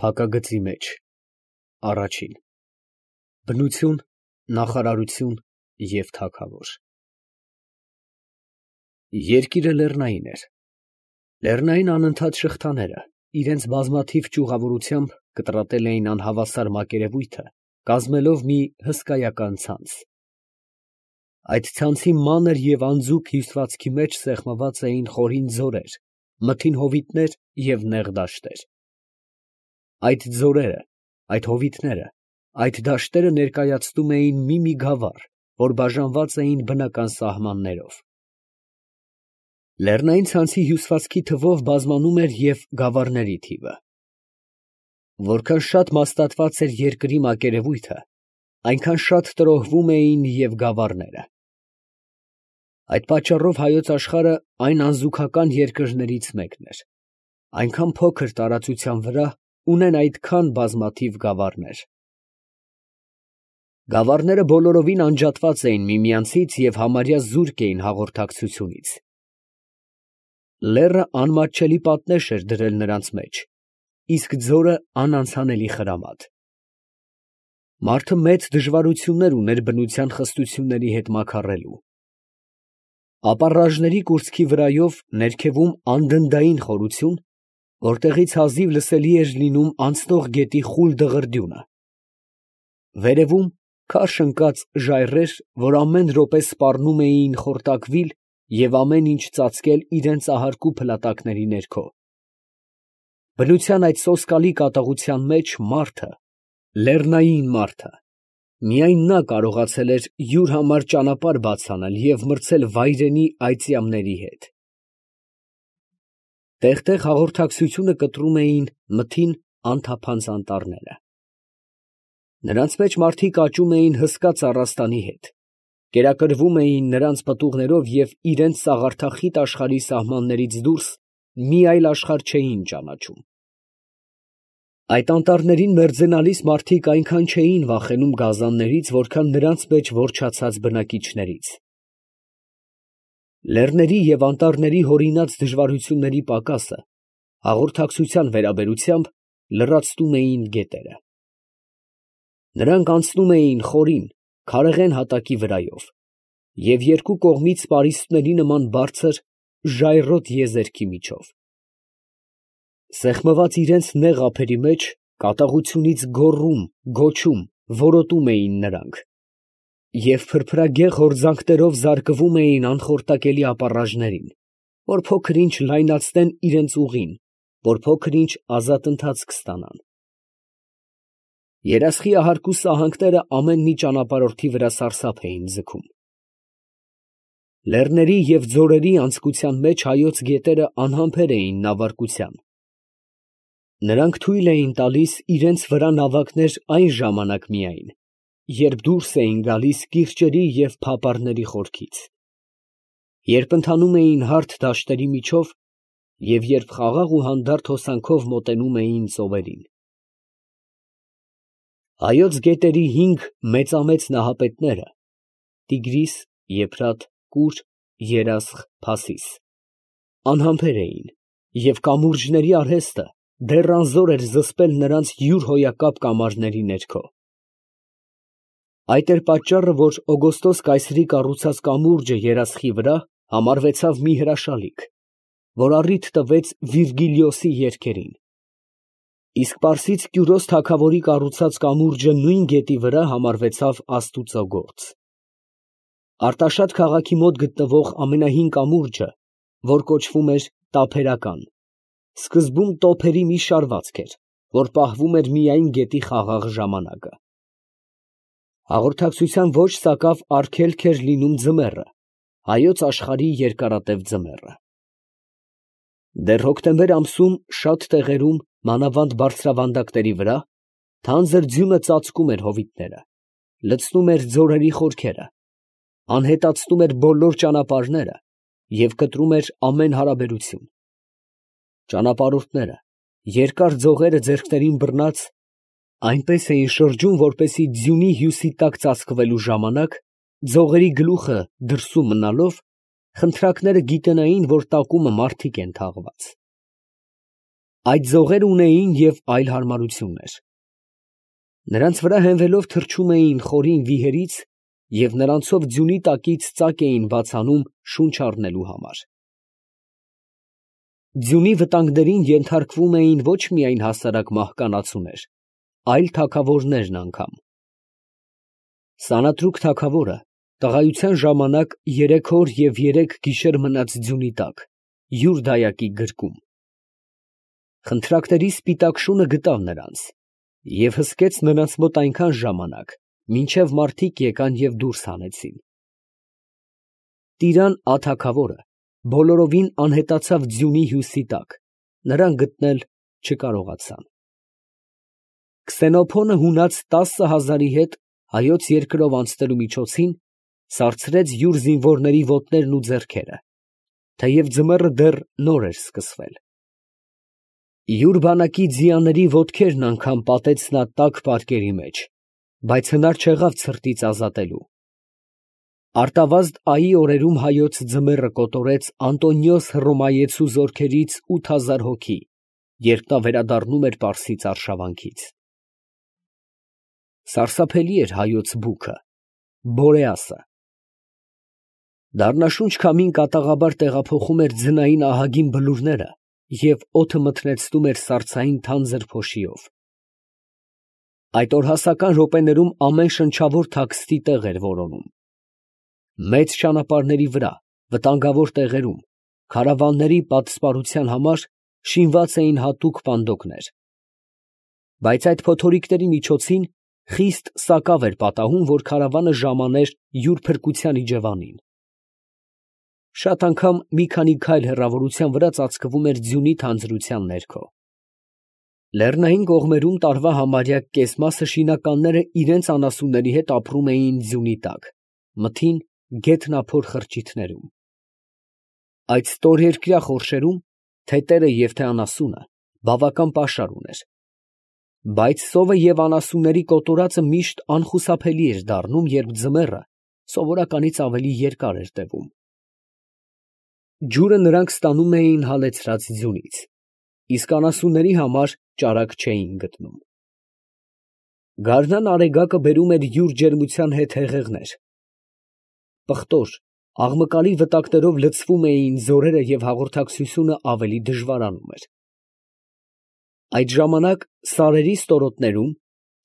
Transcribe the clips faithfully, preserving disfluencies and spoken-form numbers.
Փակագծի մեջ առաջին բնություն, նախարարություն և թագավոր։ Երկիրը լեռնային էր։ Լեռնային անընդհատ շղթաները իրենց բազմաթիվ ճյուղավորությամբ կտրատել էին անհավասար մակերևույթը, կազմելով մի հսկայական ցանց։ Այդ ցանցի մանր և անձուկ հյուսվածքի մեջ սեղմված էին խորին ձորեր, մթին հովիտներ և նեղ դաշտեր։ Այդ ձորերը, այդ հովիտները, այդ դաշտերը ներկայացնում էին մի֊մի գավառ, որ բաժանված էին բնական սահմաններով։ Լեռնային ցանցի հյուսվածքի թվով բազմանում էր և գավառների թիվը։ Որքան շատ մաստատված էր երկրի մակերևույթը, այնքան շատ տրոհվում էին և գավառները։ Այդ պատճառով հայոց աշխարհը այն անզուգական երկրներից մեկն էր, այնքան փոքր տարածության վրա ունեն այդքան բազմաթիվ գավառներ։ Գավառները բոլորովին անջատված էին միմյանցից և համարյա զուրկ էին հաղորդակցությունից։ Լեռը անմատչելի պատնեշ էր դրել նրանց մեջ, իսկ ձորը անանցանելի խրամատ։ Մարդը մեծ դժվարություններ ուներ բնության խստությունների հետ մաքարելու։ Ապառաժների կուրծքի վրայով ներքևում անդնդային խորություն, որտեղից հազիվ լսելի էր լինում անցնող գետի խուլ դղրդյունը։ Վերևում քարշ ընկած ժայռեր, որ ամեն րոպե սպառնում էին խորտակվիլ և ամեն ինչ ծածկել իրենց ահարկու փլատակների ներքո։ Բնության այդ սոսկալի կատաղության մեջ մարդը, լեռնային մարդը, միայն նա կարողացել էր յուր համար ճանապարհ բաց անել և մրցել վայրենի այծյամների հետ։ Տեղ֊տեղ հաղորդակցությունը կտրում էին մթին անթափանց անտառները։ Նրանց մեջ մարդիկ աճում էին հսկա ծառաստանի հետ, կերակրվում էին նրանց պտուղներով և իրենց սաղարթախիտ աշխարհի սահմաններից դուրս մի այլ աշխարհ չէին ճանաչում։ Այդ անտառներին մերձենալիս մարդիկ այնքան չէին վախենում գազաններից, որքան նրանց մեջ որջացած բնակիչներից։ Լեռների և անտառների հորինած դժվարությունների պակասը հաղորդակցության վերաբերությամբ լրացնում էին գետերը։ Նրանք անցնում էին խորին, քարեղեն հատակի վրայով և երկու կողմից պարիսպների նման բարձր, ժայռոտ եզերքի միջով։ Սեղմված իրենց նեղ ափերի մեջ կատաղությունից գոռում, գոչում, որոտում էին նրանք և փրփրագեղ հորձանքներով զարկվում էին անխորտակելի ապառաժներին, որ փոքր֊ինչ լայնացնեն իրենց ուղին, որ փոքր֊ինչ ազատ ընթացք ստանան։ Երասխի ահարկու սահանքները ամեն մի ճանապարհորդի վրա սարսափ էին ձգում։ Լեռների և ձորերի անցքության մեջ հայոց գետերը անհամբեր էին նավարկության։ Նրանք թույլ էին տալիս իրենց վրա նավակներ այն ժամանակ միայն, երբ դուրս էին գալիս կիրճերի և փապարների խորքից, երբ ընթանում էին հարթ դաշտերի միջով և երբ խաղաղ ու հանդարտ հոսանքով մոտենում էին ծովերին։ Հայոց գետերի հինգ մեծամեծ նահապետները՝ Տիգրիս, Եփրատ, Կուր, Երասխ, Փասիս, անհամբեր էին, և կամուրջների արհեստը դեռ անզոր էր զսպել նրանց յուր հոյակապ կամարների ներքո։ Այդ էր պատճառը, որ Օգոստոս կայսրի կառուցած կամուրջը Երասխի վրա համարվեցավ մի հրաշալիք, որ առիթ տվեց Վիրգիլիոսի երգերին, իսկ պարսից Կյուրոս թագավորի կառուցած կամուրջը նույն գետի վրա համարվեցավ աստուծո գործ։ Արտաշատ քաղաքի մոտ գտնվող ամենահին կամուրջը, որ կոչվում էր Տափերական, սկզբում տոփերի մի շարվածք էր, որ պահվում էր միայն գետի խաղաղ ժամանակը։ Հաղորդակցության ոչ սակավ արգելք էր լինում ձմեռը, հայոց աշխարհի երկարատև ձմեռը։ Դեռ հոկտեմբեր ամսում շատ տեղերում, մանավանդ բարձրավանդակների վրա, թանձր ձյունը ծածկում էր հովիտները, լցնում էր ձորերի խորքերը, անհետացնում էր բոլոր ճանապարհները և կտրում էր ամեն հարաբերություն։ Ճանապարհորդները, երկար ձողերը ձեռքներին բռնած, այնպես էին շրջում, որպեսզի ձյունի հյուսի տակ ծածկվելու ժամանակ, ձողերի գլուխը դրսում մնալով, խնդրակները գիտենային, որ տակումը մարդիկ են թաղված։ Այդ ձողեր ունեին և այլ հարմարություններ. նրանց վրա հենվելով թռչում էին խորին վիհերից և նրանցով ձյունի տակից ծակ էին բացանում շունչ առնելու համար։ Ձյունի վտանգներին ենթարկվում էին ոչ միայն հասարակ մահկանացուներ, այլ թագավորներն անգամ։ Սանատրուկ թագավորը տղայության ժամանակ երեք օր և երեք գիշեր մնաց ձյունի տակ, յուր դայակի գրկում։ Խնդրակների սպիտակ շունը գտավ նրանց և հսկեց նրանց մոտ այնքան ժամանակ, մինչև մարդիկ եկան և դուրս հանեցին։ Տիրան աթագավորը բոլորովին անհետացավ ձյունի հյուսի տակ, նրան գտնել չկարողացան։ Քսենոփոնը հունած տասը հազարի հետ հայոց երկրով անցնելու միջոցին սարձրեց յուր զինվորների ոտներն ու ձեռքերը, թեև ձմեռը դեռ նոր էր սկսվել։ Յուր բանակի ձիաների ոտքերն անգամ պատեց նա տաք պարկերի մեջ, բայց հնար չեղավ ցրտից ազատելու։ Արտավազդ այի օրերում հայոց ձմեռը կոտորեց Անտոնիոս Հռոմայեցու զորքերից ութ հազար հոգի, երբ նա վերադառնում էր Պարսից արշավանքից։ Սարսափելի էր հայոց բուքը, Բորեասը։ Դառնաշունչ քամին կատաղաբար տեղափոխում էր ձնային ահագին բլուրները և օդը մթնեցնում էր սառցային թանձր փոշիով։ Այդ օրհասական րոպեներում ամեն շնչավոր թաքստի տեղ էր որոնում։ Մեծ ճանապարհների վրա, վտանգավոր տեղերում, քարավանների պատսպարության համար շինված էին հատուկ պանդոկներ։ Բայց այդ փոթորիկների միջոցին խիստ սակավ էր պատահում, որ քարավանը ժամաներ յուր փրկության իջևանին։ Շատ անգամ մի քանի քայլ հեռավորության վրա ծածկվում էր ձյունի թանձրության ներքո։ Լեռնային կողմերում տարվա համարյա կես մասը շինականները իրենց անասունների հետ ապրում էին ձյունի տակ, մթին գեթնափոր խրճիթներում։ Այդ ստորերկրյա խորշերում թե՛ տերը և թե՛ անասունը բավական պաշար ուներ։ Բայց սովը և անասունների կոտորածը միշտ անխուսափելի էր դառնում, երբ ձմեռը սովորականից ավելի երկար էր տևում։ Ջուրը նրանք ստանում էին հալեցրած ձյունից, իսկ անասունների համար ճարակ չէին գտնում։ Գարնան արեգակը բերում էր յուր ջերմության հետ հեղեղներ։ Պղտոր, աղմկալի վտակներով լցվում էին ձորերը և հաղորդակցությունը ավելի դժվարանում էր։ Այդ ժամանակ սարերի ստորոտներում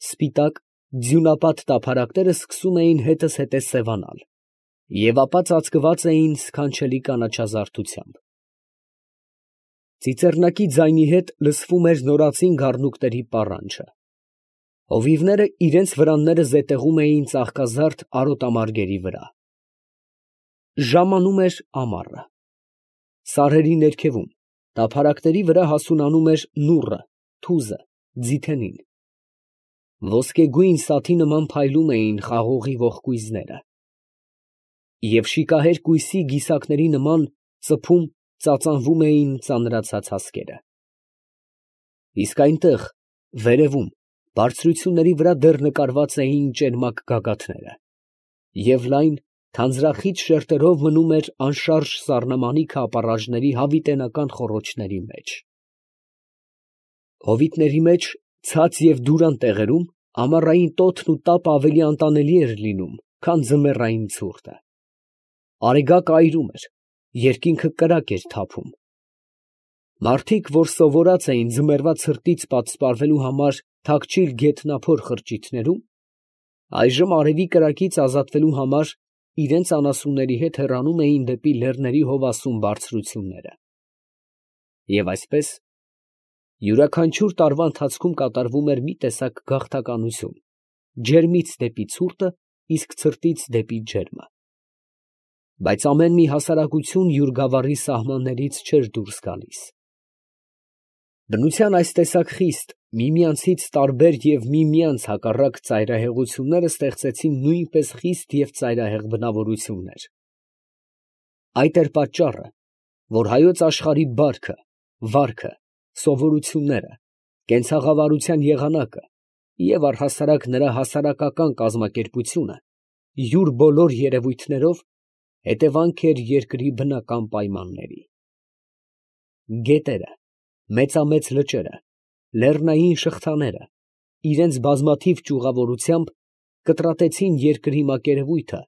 սպիտակ, ձյունապատ տափարակները սկսում էին հետզհետե սևանալ և ապա ծածկված էին սքանչելի կանաչազարդությամբ։ Ծիծեռնակի ձայնի հետ լսվում էր նորածին գառնուկների պառանջը։ Հովիվները իրենց վրանները զետեղում էին ծաղկազարդ արոտամարգերի վրա։ Ժամանում էր ամառը։ Սարերի ներքևում, տափարակների վրա հասունանում էր նուռը, թուզը, ձիթենին։ Ոսկեգույն սաթի նման փայլում էին խաղողի ողկույզները և շիկահեր կույսի գիսակների նման ծփում ծածանվում էին ծանրացած հասկերը։ Իսկ այնտեղ, վերևում, բարձրությունների վրա դեռ նկարված էին ճերմակ գագաթները, և լայն, թանձրախիտ շերտերով մնում էր անշարժ սառնամանիքը ապառաժների հավիտենական խոռոչների մեջ։ Հովիտների մեջ, ցած և դուրան տեղերում ամառային տոթն ու տապը ավելի անտանելի էր լինում, քան ձմեռային ցուրտը։ Արեգակը այրում էր, երկինքը կրակ էր թափում։ Մարդիկ, որ սովորած էին ձմեռվա ցրտից պատսպարվելու համար թաքչիլ գեթնափոր խրճիթներում, այժմ արևի կրակից ազատվելու համար իրենց անասունների հետ հեռանում էին դեպի լեռների հովասուն բարձրությունները։ Եվ այսպես, յուրաքանչյուր տարվա ընթացքում կատարվում էր մի տեսակ գաղթականություն, ջերմից դեպի ցուրտը, իսկ ցրտից դեպի ջերմը։ Բայց ամեն մի հասարակություն յուր գավառի սահմաններից չէր դուրս գալիս։ Բնության այս տեսակ խիստ, միմյանցից տարբեր և միմյանց հակառակ ծայրահեղությունները ստեղծեցին նույնպես խիստ և ծայրահեղ բնավորություններ։ Այդ էր պատճառը, որ հայոց աշխարհի բարքը, վարքը, սովորությունները, կենցաղավարության եղանակը և առհասարակ նրա հասարակական կազմակերպությունը յուր բոլոր երևույթներով հետևանք էր երկրի բնական պայմանների։ Գետերը, մեծամեծ լճերը, լեռնային շղթաները, իրենց բազմաթիվ ճյուղավորությամբ կտրատեցին երկրի մակերևույթը,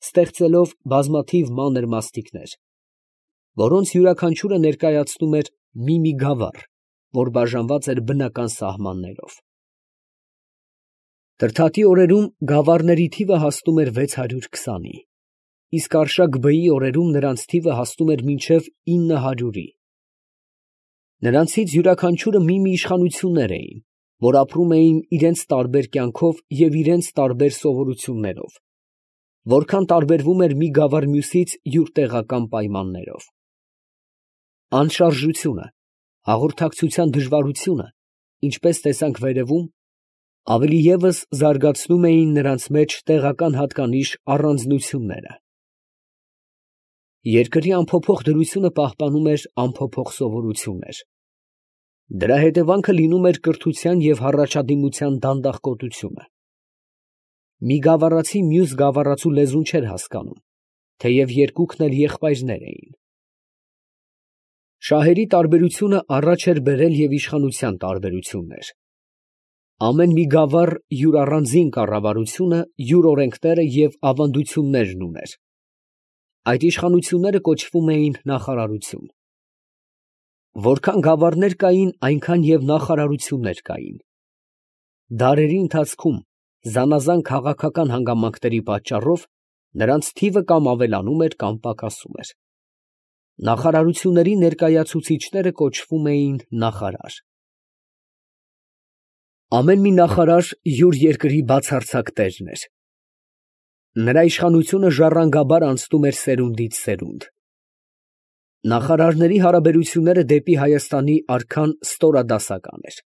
ստեղծելով բազմաթիվ մանր մաստիկներ, որոնց յուրաքանչյուրը ներկայացնում էր մի-մի գավառ, որ բաժանված էր բնական սահմաններով։ Թրթատի օրերում գավառների թիվը հասնում էր վեց հարյուր քսանի, իսկ արշակ բեի օրերում նրանց թիվը հասնում էր մինչև ինը հարյուրի։ Նրանցից յուրաքանչյուրը մի-մի իշխանություններ էին, որ ապրում էին իրենց տարբեր կյանքով և իրենց տարբեր սովորություններով, որքան տարբերվում էր մի գավառ մյուսից յուր տեղական պայմաններով։ Անշարժությունը, հաղորդակցության դժվարությունը, ինչպես տեսանք վերևում, ավելի ևս զարգացնում էին նրանց մեջ տեղական հատկանիշ առանձնությունները։ Երկրի անփոփոխ դրությունը պահպանում էր անփոփոխ սովորություններ։ Դրա հետևանքը լինում էր կրթության և հառաջադիմության դանդաղկոտությունը։ Մի գավառացի մյուս գավառացու լեզուն չէր հասկանում, թեև երկուքն էլ եղբայրներ էին։ Շահերի տարբերությունը առաջ էր բերել և իշխանության տարբերություններ։ Ամեն մի գավառ յուր առանձին կառավարությունը, յուր օրենքները և ավանդություններն ուներ։ Այդ իշխանությունները կոչվում էին նախարարություն։ Որքան գավառներ կային, այնքան և նախարարություններ կային։ Դարերի ընթացքում զանազան քաղաքական հանգամանքների պատճառով նրանց թիվը կամ ավելանում էր, կամ պակասում էր։ Նախարարությունների ներկայացուցիչները կոչվում էին նախարար։ Ամեն մի նախարար յուր երկրի բացարձակ տերն էր։ Նրա իշխանությունը ժառանգաբար անցնում էր սերունդից սերունդ։ Նախարարների հարաբերությունները դեպի Հայաստանի արքան ստորադասական էր։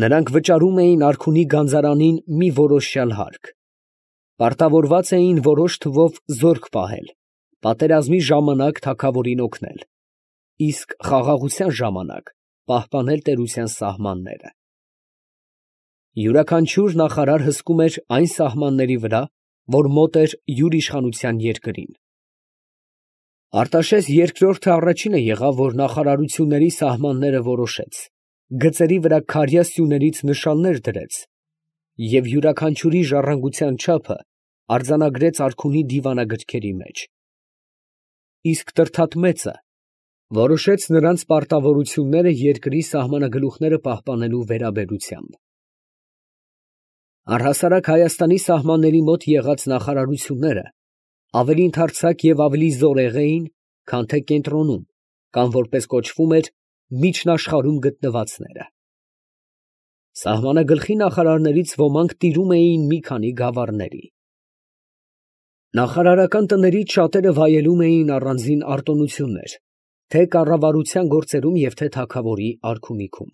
Նրանք վճարում էին արքունի գանձարանին մի որոշյալ հարկ, պարտավորված էին որոշ թվով զորք պահել, պատերազմի ժամանակ թագավորին օգնել, իսկ խաղաղության ժամանակ պահպանել տերության սահմանները։ Յուրաքանչյուր նախարար հսկում էր այն սահմանների վրա, որ մոտ էր յուր իշխանության երկրին։ Արտաշես երկրորդը առաջինը եղավ, որ նախարարությունների սահմանները որոշեց, գծերի վրա քարյա սյուներից նշաններ դրեց և յուրաքանչյուրի ժառանգության չափը արձանագրեց արքունի դիվանագրքերի մեջ։ Իսկ Տրդատ մեծը որոշեց նրանց պարտավորությունները երկրի սահմանագլուխները պահպանելու վերաբերությամբ։ Առհասարակ Հայաստանի սահմանների մոտ եղած նախարարությունները ավելի ընդարձակ և ավելի զորեղ էին, քան թե կենտրոնում, կամ որպես կոչվում էր, միջնաշխարհում գտնվածները։ Սահմանագլխի նախարարներից ոմանք տիրում էին մի քանի գավառների։ Նախարարական տներից շատերը վայելում էին առանձին արտոնություններ, թե կառավարության գործերում և թե թագավորի արքունիքում։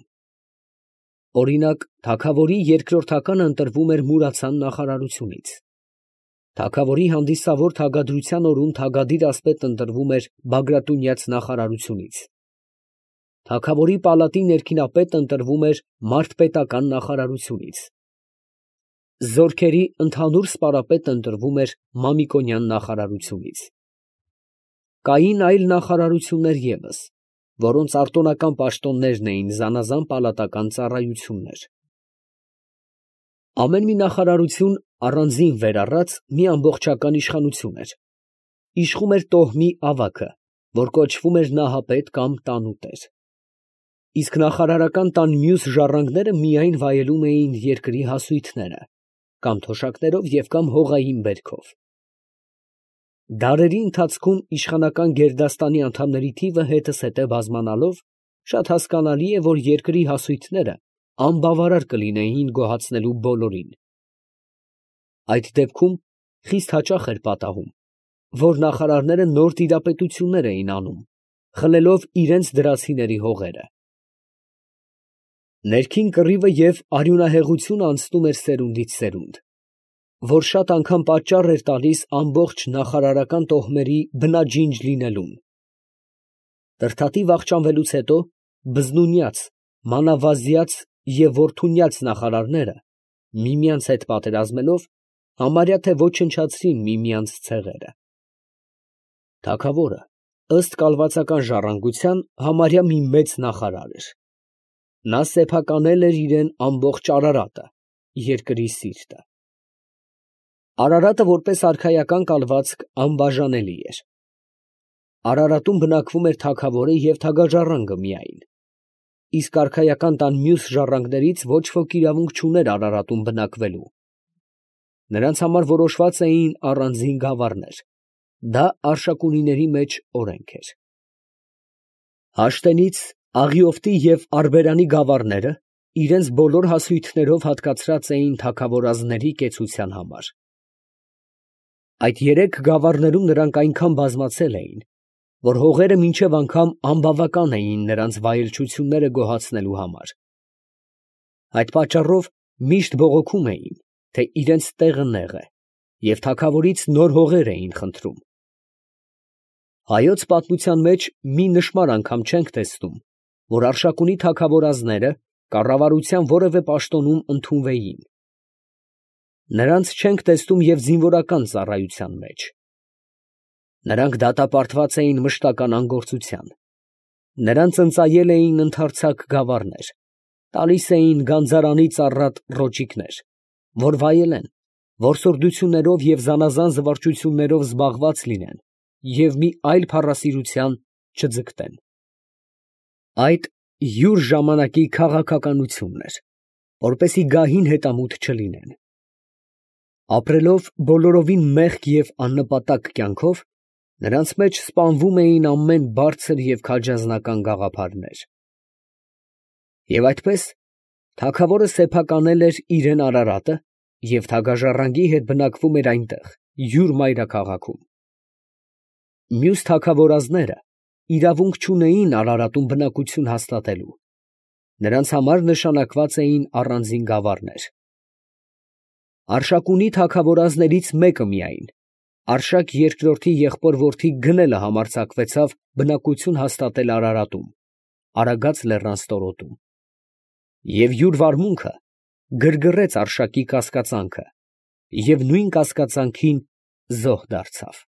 Օրինակ, թագավորի երկրորդականը ընտրվում էր Մուրացան նախարարությունից։ Թագավորի հանդիսավոր թագադրության օրում թագադիր ասպետ ընտրվում էր Բագրատունյաց նախարարությունից։ Թագավորի պալատի ներքինապետ ընտրվում էր Մարդպետական նախարարությունից։ Զորքերի ընդհանուր սպարապետ ընտրվում էր Մամիկոնյան նախարարությունից։ Կային այլ նախարարություններ ևս, որոնց արտոնական պաշտոններն էին զանազան պալատական ծառայություններ։ Ամեն մի նախարարություն առանձին վեր առած մի ամբողջական իշխանություն էր։ Իշխում էր տոհմի ավագը, որ կոչվում էր նահապետ կամ տանուտեր։ Իսկ նախարարական տան մյուս ժառանգները միայն վայելում էին երկրի հասույթները, կամ թոշակներով և կամ հողային բերքով։ Դարերի ընթացքում իշխանական գերդաստանի անդամների թիվը հետզհետե բազմանալով, շատ հասկանալի է, որ երկրի հասույթները անբավարար կլինեին գոհացնելու բոլորին։ Այդ դեպքում խիստ հաճախ էր պատահում, որ նախարարները նոր տիրապետություններ էին անում, խլելով իրենց դրացիների հողերը։ Ներքին կռիվը և արյունահեղությունը անցնում էր սերունդից սերունդ, որ շատ անգամ պատճառ էր տալիս ամբողջ նախարարական տոհմերի բնաջինջ լինելուն։ Տրդատի վախճանվելուց հետո բզնունյաց, մանավազյաց և որդունյաց նախարարները, միմյանց հետ պատերազմելով, համարյա թե ոչնչացրին միմյանց ցեղերը։ Թագավորը, ըստ կալվածական ժառանգության համարյա մի մեծ նախարար էր. նա սեփականել էր իրան ամբողջ Արարատը, երկրի սիրտը։ Արարատը որպես արքայական կալվածք անբաժանելի էր։ Արարատում բնակվում էր թագավորը և թագաժառանգը միայն, իսկ արքայական տան մյուս ժառանգներից ոչ ոք իրավունք չուներ Արարատում բնակվելու։ Նրանց համար որոշված էին առանձին գավառներ, դա Արշակունիների մեջ օրենք էր։ Հաշտենից, Աղիովտի և Արբերանի գավառները իրենց բոլոր հասույթներով հատկացրած էին թագավորազների կեցության համար։ Այդ երեք գավառներում նրանք այնքան բազմացել էին, որ հողերը մինչև անգամ անբավական էին նրանց վայելչությունները գոհացնելու համար։ Այդ պատճառով միշտ բողոքում էին, թե իրենց տեղը նեղ է, և թագավորից նոր հողեր էին խնդրում։ Հայոց պատմության մեջ մի նշմար անգամ չենք տեսնում, որ Արշակունի թագավորազները կառավարության որևէ պաշտոնում ընդունվեին։ Նրանց չենք տեսնում և զինվորական ծառայության մեջ։ Նրանք դատապարտված էին մշտական անգործության։ Նրանց ընծայել էին ընդարձակ գավառներ, տալիս էին գանձարանից առատ ռոճիկներ, որ վայելեն, որսորդություններով և զանազան զվարճություններով զբաղված լինեն և մի այլ փառասիրության չձգտեն։ Այդ յուր ժամանակի քաղաքականությունն էր, որպեսզի գահին հետամուտ չլինեն։ Ապրելով բոլորովին մեղք և աննպատակ կյանքով, նրանց մեջ սպանվում էին ամեն բարձր և քաջազնական գաղափարներ։ Եվ այսպես, թագավորը սեփականել էր իրան Արարատը և թագաժառանգի հետ բնակվում էր այնտեղ, յուր մայրաքաղաքում։ Մյուս թագավորազները իրավունք չունեին Արարատում բնակություն հաստատելու, նրանց համար նշանակված էին առանձին գավառներ։ Արշակունի թագավորազներից մեկը միայն, Արշակ երկրորդի եղբոր որդի Գնելը համարձակվեցավ բնակություն հաստատել Արարատում, Արագած լեռան ստորոտում, և յուր վարմունքը գրգռեց Արշակի կասկածանքը և նույն կասկածանքին զոհ դարձավ։